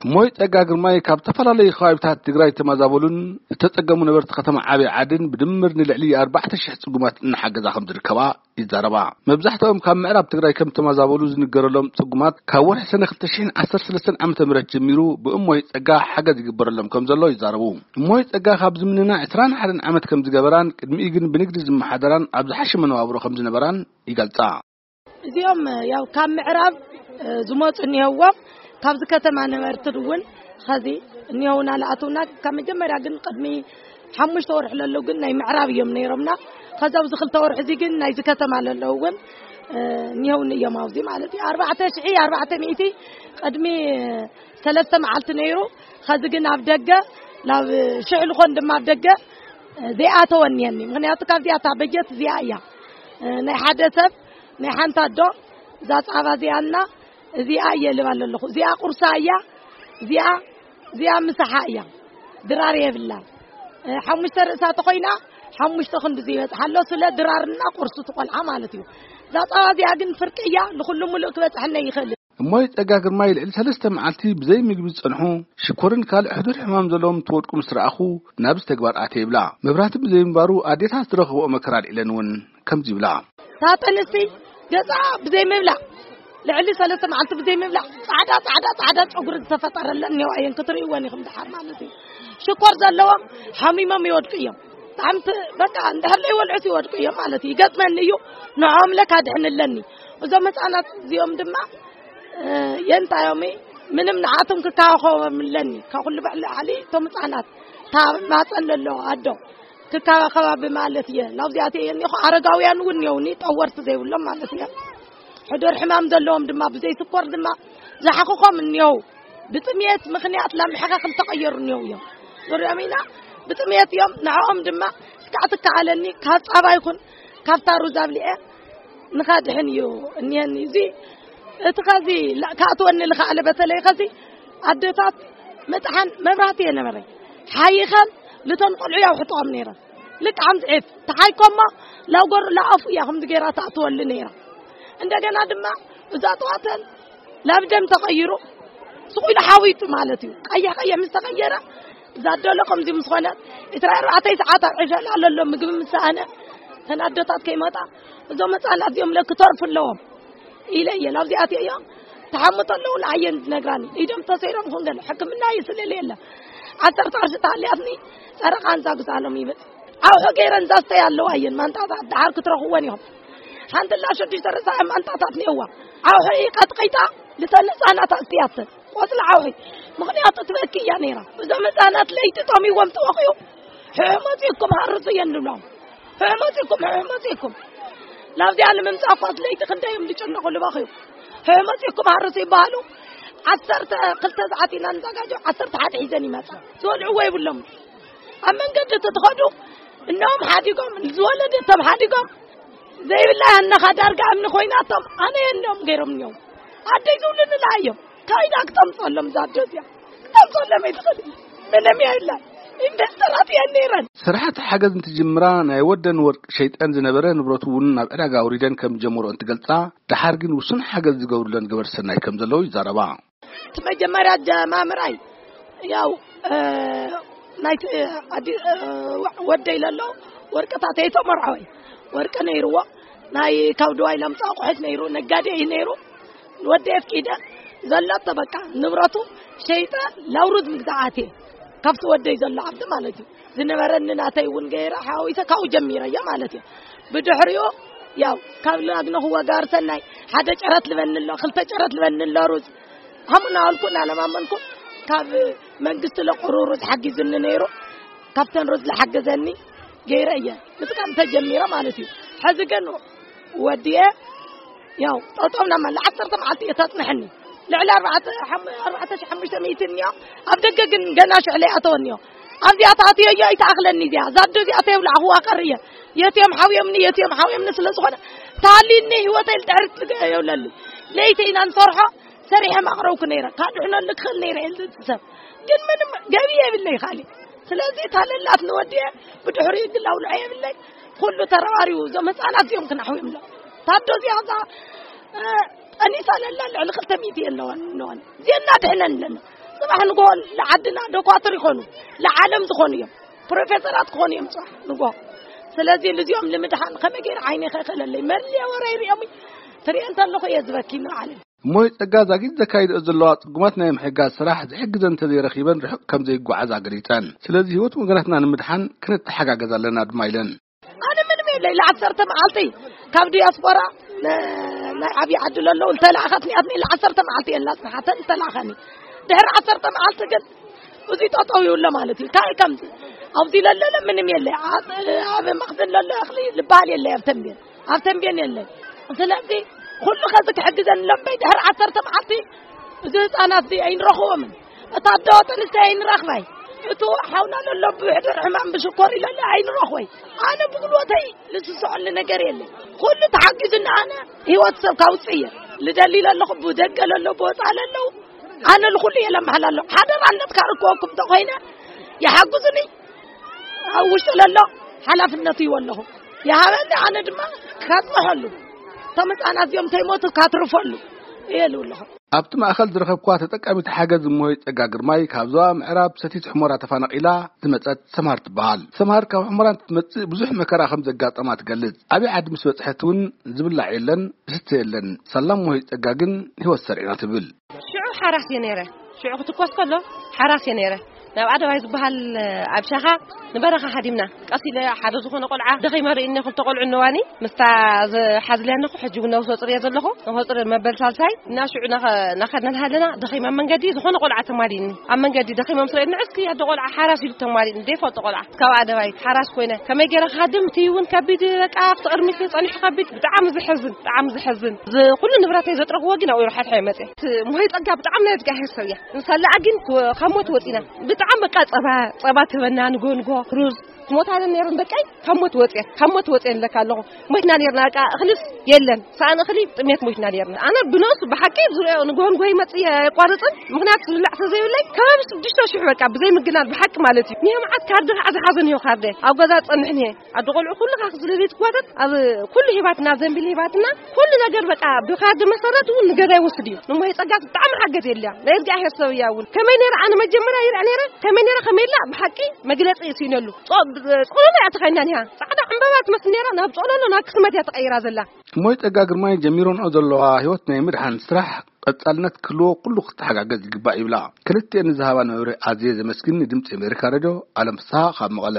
እሞይ ጸጋ ግርማይ ካብ ዝተፈላለዩ ከባቢታት ትግራይ ዝተመዛበሉን ዝተጸገሙ ነበርቲ ከተማ ዓብዪ ዓድን ብድምር ንልዕሊ ኣርባዕተ ሽሕ ጽጉማት እናሓገዛ ከም ዝርከባ ይዛረባ። መብዛሕትኦም ካብ ምዕራብ ትግራይ ከም ዝተመዛበሉ ዝንገረሎም ጽጉማት ካብ ወርሒ ሰነ ክልተ ሽሕን ዓሰርተ ሰለስተን ዓመተ ምህረት ጀሚሩ ብእሞይ ጸጋ ሓገዝ ይግበረሎም ከም ዘሎ ይዛረቡ። እሞይ ጸጋ ካብ ዝምንና ዕስራን ሓደን ዓመት ከም ዝገበራን ቅድሚኡ ግን ብንግዲ ዝመሓደራን ኣብ ዝሓሸ መነባብሮ ከም ዝነበራን ይገልጻ። እዚኦም ያው ካብ ምዕራብ ዝመፁ እኒሀዎም፣ ካብዚ ከተማ ነበርቲ እውን ኸዚ እኒሀውና። ለኣትውና ካብ መጀመርያ ግን ቅድሚ ሓሙሽተ ወርሒ ለለው ግን ናይ ምዕራብ እዮም ነይሮምና። ከዚ ኣብዚ ክልተ ወርሒ እዚ ግን ናይዚ ከተማ ለለው እውን እኒሀውኒ እዮም ኣብዚ ማለት እዩ። ኣርባዕተ ሽሒ ኣርባዕተ ሚእቲ ቅድሚ ሰለስተ መዓልቲ ነይሩ። ከዚ ግን ኣብ ደገ ናብ ሽሕ ልኾን ድማ ኣብ ደገ ዘይኣተወ እኒሀኒ። ምኽንያቱ ካብዚኣ እታ በጀት እዚኣ እያ። ናይ ሓደ ሰብ ናይ ሓንቲ ኣዶ እዛ ፃባ እዚኣና እዚኣ እየ ልባ ኣለኹ። እዚኣ ቁርሳ እያ፣ እዚኣ እዚኣ ምሳሓ እያ። ድራር የብላን። ሓሙሽተ ርእሳ ተኾይና ሓሙሽተ ክንዲ ዘይበፅሓ ኣሎ። ስለ ድራርና ቁርሱ ትቆልዓ ማለት እዩ። እዛ ፃባ እዚኣ ግን ፍርቂ እያ። ንኩሉ ሙሉእ ክበፅሐና ይኽእል። እሞይ ጸጋ ግርማይ ልዕሊ ሰለስተ መዓልቲ ብዘይ ምግቢ ዝጸንሑ፣ ሽኮርን ካልእ ሕዱር ሕማም ዘለዎም ትወድቁ ምስ ረኣኹ ናብዚ ተግባር ኣትየ ይብላ። መብራህቲ ብዘይ ምንባሩ ኣዴታት ዝረኸብኦ መከራ ኣልዒለን እውን ከምዚ ይብላ። እታ ጥንስቲ ገዛ ብዘይ ምብላዕ፣ ልዕሊ ሰለስተ መዓልቲ ብዘይ ምብላዕ፣ ጻዕዳ፣ ጻዕዳ፣ ጻዕዳ ጨጉሪ ዝተፈጠረለን እኒኦ እየን ክትርእይወን ኢኹም ደሓር ማለት እዩ። ሽኮር ዘለዎም ሓሚሞም ይወድቁ እዮም። ብጣዕሚ ት-፣ በቃ እንድሕር ዘይበልዑስ ይወድቁ እዮም ማለት እዩ። ይገጥመኒ እዩ፣ ንዕኦም ለካ ድሕንለኒ። እዞም ህፃናት እዚኦም ድማ የንታዮም ምንም ንዓቶም ክከባኸቦም ኣለኒ። ካብ ኩሉ ብዕሊ ዓሊ እቶም ህፃናት እታ ማፀን ዘሎ ኣዶ ክከባኸባ ብማለት እየ ናብዚኣት እየ እኒኹ። ኣረጋውያን እውን እኒኦውኒ፣ ጠወርቲ ዘይብሎም ማለት እየ። ሕዱር ሕማም ዘለዎም ድማ ብዘይ ስኮር ድማ ዝሓኽኾም እኒኦው። ብጥምየት ምኽንያት ላምሕኻ ክልተቐየሩ እኒኦው እዮም። ንሪኦም ኢና ብጥምየት እዮም። ንዕኦም ድማ እስካዕ ትከኣለኒ ካብ ፃባ ይኹን ካብታ ሩዝ ኣብሊዐ ንኻድሕን እዩ እኒሀኒ። እዚ እቲ ኸዚ ላ-፣ ካእትወኒ ልኸኣለ በተለይ ኸዚ ኣደታት ምጥሓን መብራህቲ እየ ነበረ። ሓይኸን ልተን ቆልዑ ያውሕጥኦም ነይረን። ልክዓም ዝዒፍ ተሓይኮማ ላጎር ላኣፉ እያ ከምዚ ገይራ ተኣትወሉ ነይራ። እንደገና ድማ እዛ ጠዋተን ናብ ደም ተቐይሩ ስቑ ኢሉ ሓዊጡ ማለት እዩ። ቀይሕ ቀይሕ ምስ ተቐየረ እዛ ኣደሎ ከምዚ ምስ ኾነ ዕስራ ኣርባዕተ ሰዓት ኣብ ዕሸል ኣለሎ ምግቢ ምስ ሰኣነ ተን ኣደታት ከይመጣ እዞም ህፃናት እዚኦም ለክተርፉ ኣለዎም ኢለ እየ ናብዚኣት እዮም። ተሓምቶ ኣለዉ ንዓየን ዝነግራኒ ኢዶም ተሰይሮም ኩን ገለ ሕክምና ይስልል የለ። ዓሰርተ ቅርሺ ተሃልያትኒ ጨረቃ እንዛ ግዛሎም ይብል። ዓውሒ ገይረን ዛስተይ ኣለዋ እየን ማንጣታት ደሓር ክትረኽወን እዮም። ሓንቲ ላ ሽዱሽተ ርእሳ ማንጣታት ነዋ። ዓውሒ ቀጥቂጣ ልተን ህፃናት ኣስትያተን ቆፅሊ ዓውሒ። ምኽንያቱ ትበኪ እያ ነይራ። እዞም ህፃናት ለይቲ ጠሚዎም ተወቂኡ ሕሕ መፂእኩም ሃርሱ እየን ንብሎም። ሕሕ መፂእኩም፣ ሕሕ መፂእኩም። ናብዚኣ ንምምፃእ እኳ ለይቲ ክንደዮም ዝጨነቑ ልባኽዩ። ሕሕ መፂእኩም ሃርሱ ይበሃሉ። ዓሰርተ ክልተ ሰዓት ኢና ንዘጋጆ፣ ዓሰርተ ሓደ ሒዘን ይመፃ። ዝበልዕዎ ይብሎም። ኣብ መንገዲ እቲ ትኸዱ እኖም ሓዲጎም፣ ዝወለደቶም ሓዲጎም፣ ዘይብላ ያነኻ ዳርጋ እምኒ ኮይናቶም፣ ኣነ የኖም ገይሮም እዮም። ኣደይ ዝብሉ ንላ እዮም። ካይዳ ክተምፀሎም ዛዶ እዚኣ። ክተምፀሎም ኣይትኽእል። ምንም የለን። ኢንቨስተራት እየን ነይረን። ስራሕቲ ሓገዝ እንትጅምራ ናይ ወደን ወርቂ ሸይጠን ዝነበረ ንብረቱ እውን ናብ ዕዳጋ ኣውሪደን ከም ዝጀመሮ እንትገልጻ፣ ደሓር ግን ውሱን ሓገዝ ዝገብሩለን ገበርቲ ሰናይ ከም ዘለዉ ይዛረባ። እቲ መጀመርያ ጀማምራይ ያው፣ እ፣ ናይቲ፣ እ፣ ኣዲ-፣ እ፣ ወ-፣ ወደይ ለሎ ወርቅታት ኣይተመርዓወይ። ወርቂ ነይርዎ፣ ናይ ካብ ድዋይ ለምፃ ኣቑሑት ነይሩ፣ ነጋዴ እዩ ነይሩ። ንወደይ ኣፍቂደ ዘለቶ በቃ ንብረቱ ሸይጠ ላውሩዝ ምግዛእ ኣትየ። ካብቲ ወደይ ዘሎ ዓዲ ማለት እዩ። ዝነበረኒ ናተይ እውን ገይረ ሓዊሰ ካብኡ ጀሚረ እየ ማለት እዩ። ብድሕሪኡ ያው ካብ ላግነኹዎ ጋር ሰናይ ሓደ ጨረት ልበኒ ኣሎ፣ ክልተ ጨረት ልበኒ ኣሎ ሩዝ። ሃሙና ኣልኩ እናለማመንኩ ካብ መንግስቲ ለቁሩ ሩዝ ሓጊዙኒ ነይሩ። ካብተን ሩዝ ዝሓገዘኒ ገይረ እየ ምጥቃም ተጀሚረ ማለት እዩ። ሕዚ ግን ወዲየ ያው ጠጠው ናብ መላ ዓሰርተ መዓልቲ እየ ተጽንሐኒ። ልዕሊ ኣርባዕተ፣ ሓም-፣ ኣርባዕተ ሺሕ ሓሙሽተ ሚእቲ እኒኦ። ኣብ ደገ ግን ገና ሽዕለ ኣተወኒዮ። ኣብዚኣ ተኣትዮ እዮ ኣይተኣኽለኒ እዚኣ። እዛ ኣዶ እዚኣ ተየብላዕኹዋ ቀር እየ። የትዮም ሓውዮምኒ፣ የትዮም ሓውዮምኒ ስለ ዝኾነ ተሃልዩኒ ህይወተይ ልድሕሪ ትገ-፣ የብለሉ። ለይቲ ኢና ንሰርሖ፣ ሰሪሐ ማቕረብኩ ነይረ። ካድሕነሉ ክኽእል ነይረ እየ ዝብል ሰብ። ግን ምንም ገቢ የብለይ ካሊ። ስለዚ ታለላት ንወዲየ ብድሕሪኡ ግን ኣውልዖ የብለይ። ኩሉ ተረባሪቡ እዞም ህፃናት እዚኦም ክናሕውዮም ኣሎ። ታዶ እዚኣ እዛ፣ እ፣ ጠኒሳ ለላ ልዕሊ ክልተ ሚእቲ ኣለዋን እነዋን። እዚአና ድሕነን ኣለና። ንጎ ንዓድና ዶኳትር ይኾኑ፣ ንዓለም ዝኾኑ እዮም፣ ፕሮፌሰራት ክኾኑ እዮም ጽባሕ ንጎ። ስለዚ ልዚኦም ንምድሓን ከመይ ገይረ ዓይነ ከይከለለይ መለየ ወረ ይሪኦም ትሪኦ እንተለኹ እየ ዝበኪ ንዓለም። እሞይ ጸጋ ዛጊት ዘካይድኦ ዘለዋ ጽጉማት ናይ ምሕጋዝ ስራሕ ዝሕግዘን እንተዘይረኺበን ርሑቕ ከም ዘይጓዓዛ ገሊጸን። ስለዚ ህይወት ወገናትና ንምድሓን ክንተሓጋገዝ ኣለና ድማ ኢለን። ኣነ ምንም የለይ። ለዓሰርተ መዓልቲ ካብ ዲያስፖራ ነ- ናይ ዓብዪ ዓዲ ለለዉ ዝተላእኸትኒ ኣትኒ ለዓሰርተ መዓልቲ እየን ላጽንሓተን ዝተላእኸኒ። ድሕሪ ዓሰርተ መዓልቲ ግን እዚ ጠጠው ይብሎ ማለት እዩ። ካይ ከምዚ ኣብዚ ለለለ ምንም የለ። ኣብ ኣብ መኽዝን ለሎ እኽሊ ዝበሃል የለ ኣብ ተንቤን። ኣብ ተንቤን የለ። ስለዚ ኩሉ ከዚ ክሕግዘን ለምበይ ድሕሪ ዓሰርተ መዓልቲ እዚ ህፃናት እዚ ኣይንረኽቦምን። እታ ኣዶ ጥንስቲ ኣይንረኽባይ። እቱ ሓውና ለሎ ብሕድር ሕማም ብሽኮር ይለለ ኣይንረኽቦይ። ኣነ ብጉልበተይ ልስስዐሉ ነገር የለ። ኩሉ ተሓጊዙና ኣነ ህይወት ሰብ ካውፅእ እየ ልደሊ ለለኹ ብደገ ለሎ ብወፃ ለለው ኣነ ልኩሉ እየ ለመሓላ ኣለኹ። ሓደራ ኣለትካ ርክበኩም ተኮይነ ይሓግዙኒ። ኣብ ውሽጢ ለሎ ሓላፍነቱ ይወለኹ ይሃበኒ። ኣነ ድማ ካፅንሐሉ እቶም ህፃናት እዚኦም ተይሞቱ ካትርፈሉ እየ ልውለኹ። ኣብቲ ማእኸል ዝረኸብኳ ተጠቃሚት ሓገዝ እሞይ ጸጋ ግርማይ ካብ ዞባ ምዕራብ ሰቲት ሑመራ ተፈናቒላ ዝመጸት ሰምሃር ትበሃል። ሰምሃር ካብ ሑመራ እንትትመጽእ ብዙሕ መከራ ከም ዘጋጠማ ትገልጽ። ኣብይ ዓዲ ምስ በጽሐት እውን ዝብላዕ የለን፣ ዝስተ የለን። ሳላ እሞይ ጸጋ ግን ህይወት ሰሪዕና ትብል። ሽዑ ሓራስ እየ ነይረ። ሽዑ ክትኮስ ከሎ ሓራስ እየ ነይረ። ናብ ኣደባይ ዝበሃል ኣብ ሻኻ ንበረኻ ሃዲምና። ቀስ ኢለ ሓደ ዝኾነ ቆልዓ ደኺመ ርእኒ ክልተ ቆልዑ እነዋኒ ምስታ ዝሓዝልያ እነኹ ሕጂ እውን ነብሰ ፁር እየ ዘለኹ። ነብሰ ፁር መበል ሳልሳይ እና ሽዑ ናኸ- ናኸድና ሃለና ደኺመ ኣብ መንገዲ ዝኾነ ቆልዓ ተማሊእኒ። ኣብ መንገዲ ደኺመ ምስ ርእኒ እስኪ ኣደ ቆልዓ ሓራስ ኢሉ ተማሊእኒ። ዘይፈልጦ ቆልዓ ካብ ኣደባይ ሓራስ ኮይነ ከመይ ገይረ ክሃድም እቲ እውን ከቢድ በቃ ኣብቲ ቅድሚት ጸኒሑ ከቢድ ብጣዕሚ ዝሕዝን ብጣዕሚ ዝሕዝን። እዚ ኩሉ ንብረተይ ዘጥረኽዎ ግን ኣብኡ ሓድሓ ይመጽእ። እቲ ሞሄ ጸጋ ብጣዕሚ ናይ እግዚኣብሔር ሰብ እያ። ንሳላ ግን ካብ ሞት ወጺና። ብጣዕሚ በቃ ጸባ ጸባ ትህበና ንጎ ንጎ ሩዝ ትሞታ ነይረን ደቀይ ካብ ሞት ወጽየን ካብ ሞት ወጽየን ለካ ኣለኹ። ሞትና ነይርና በቃ እኽልስ የለን። ሰኣን እኽሊ ጥሜት ሞትና ነይርና። ኣነ ብነሱ ብሓቂ ዝሪኦ ንጎ ንጎ ይመጽእ የቋርጽን ምኽንያት ዝብላዕ ተዘይብለይ ከባቢ ሽዱሽተ ሽሕ በቃ ብዘይ ምግናል ብሓቂ ማለት እዩ። ንየ መዓት ካርዲ ከዓ ዝሓዘን እዩ ካርደ ኣብ ገዛ ጸንሕን እየ ኣደ ቆልዑ ኩሉ ካክ ዝለቤት ጓደት ኣብ ኩሉ ሂባትና ዘንቢል ሂባትና ኩሉ ነገር በቃ ብካርድ መሰረት እውን ንገዛ ይወስድ እዩ። ንሞሄ ጸጋት ብጣዕሚ ሓገዝ የለያ ናይ እግዚኣብሔር ሰብ እያ እውን ከመይ ነይረ ኣነ መጀመርያ ይርኣ ነይረ ከመይ ነይረ ከመይ ኢላ ብሓቂ መግለጺ ይስኢነሉ። ጾሎሎ እያ ተኸይና ኒሃ ጻዕዳ ዕምበባ ትመስል ነይራ ናብ ጾሎሎ ናብ ክስመት እያ ተቐይራ ዘላ። እሞይ ጸጋ ግርማይ ጀሚሮንኦ ዘለዋ ህይወት ናይ ምድሓን ስራሕ ቀጻልነት ክህልዎ ኩሉ ክተሓጋገዝ ይግባእ ይብላ። ክልቲኤን ንዝሃባን መብርሂ ኣዝየ ዘመስግን ንድምፂ ኣሜሪካ ሬድዮ ኣለም ፍስሃ ካብ መቐለ።